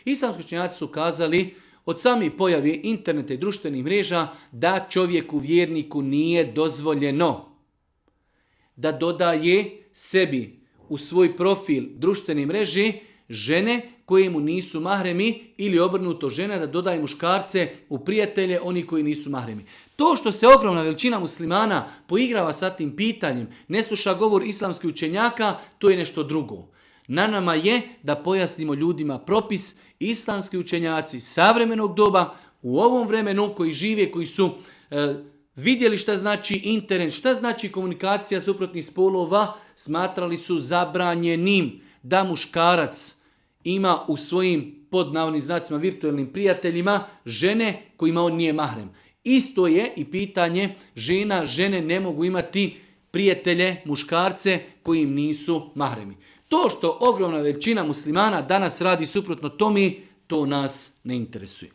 Islamski učenjaci su kazali od samih pojave interneta i društvenih mreža da čovjeku vjerniku nije dozvoljeno da dodaje sebi u svoj profil društvene mreže žene koje mu nisu mahremi ili obrnuto žena da dodaje muškarce u prijatelje oni koji nisu mahremi. To što se ogromna većina muslimana poigrava sa tim pitanjem, ne sluša govor islamskih učenjaka, to je nešto drugo. Na nama je da pojasnimo ljudima propis. Islamski učenjaci savremenog doba u ovom vremenu koji žive, koji su vidjeli šta znači internet, šta znači komunikacija suprotnih spolova, smatrali su zabranjenim da muškarac ima u svojim pod navodnim znacima virtualnim prijateljima žene kojima on nije mahrem. Isto je i pitanje žene ne mogu imati prijatelje, muškarce koji im nisu mahremi. To što ogromna većina muslimana danas radi suprotno tome, to nas ne interesuje.